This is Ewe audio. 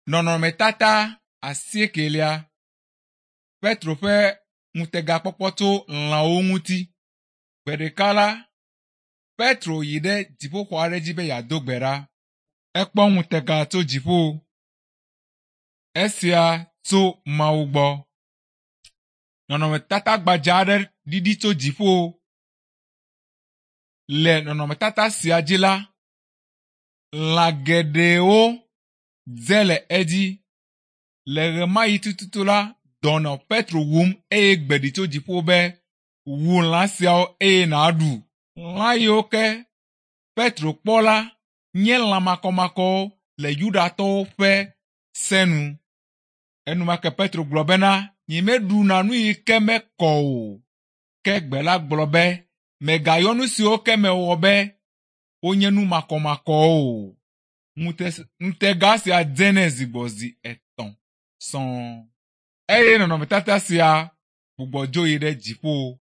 Nɔnɔmetata asiekelia. Petro ƒe ŋutegakpɔkpɔ tso lãwo ŋuti. Gbe ɖeka la, Petro yi ɖe dziƒoxɔ aɖe dzi be yeado gbe ɖa. Ekpɔ ŋutega tso dziƒo. Esia tso Mawu gbɔ. Nɔnɔmetata gbadza aɖe ɖiɖi tso dziƒo. Le nɔnɔmetata sia dzi la, lã geɖewo dze le edzi. Le ɣemaɣi tututu la, dɔ nɔ Petro wum eye gbe ɖi tso dziƒo be, wu lã siawo eye nàɖu. Lã yiwo ke Petro kpɔ la nye lã makɔmakɔwo le Yudatɔwo ƒe se nu. Enumake Petro gblɔ bena, nyemeɖuna nu yi ke mekɔ o. Ke gbe la gblɔ be, mègayɔ nu siwo ke mewɔ be wonye nu makɔmakɔwo o. Ŋutega sia dze nɛ zi gbɔ zi etɔ̃ sɔŋ. Eye nɔnɔmetata sia gbugbɔ dzo yi ɖe dziƒo.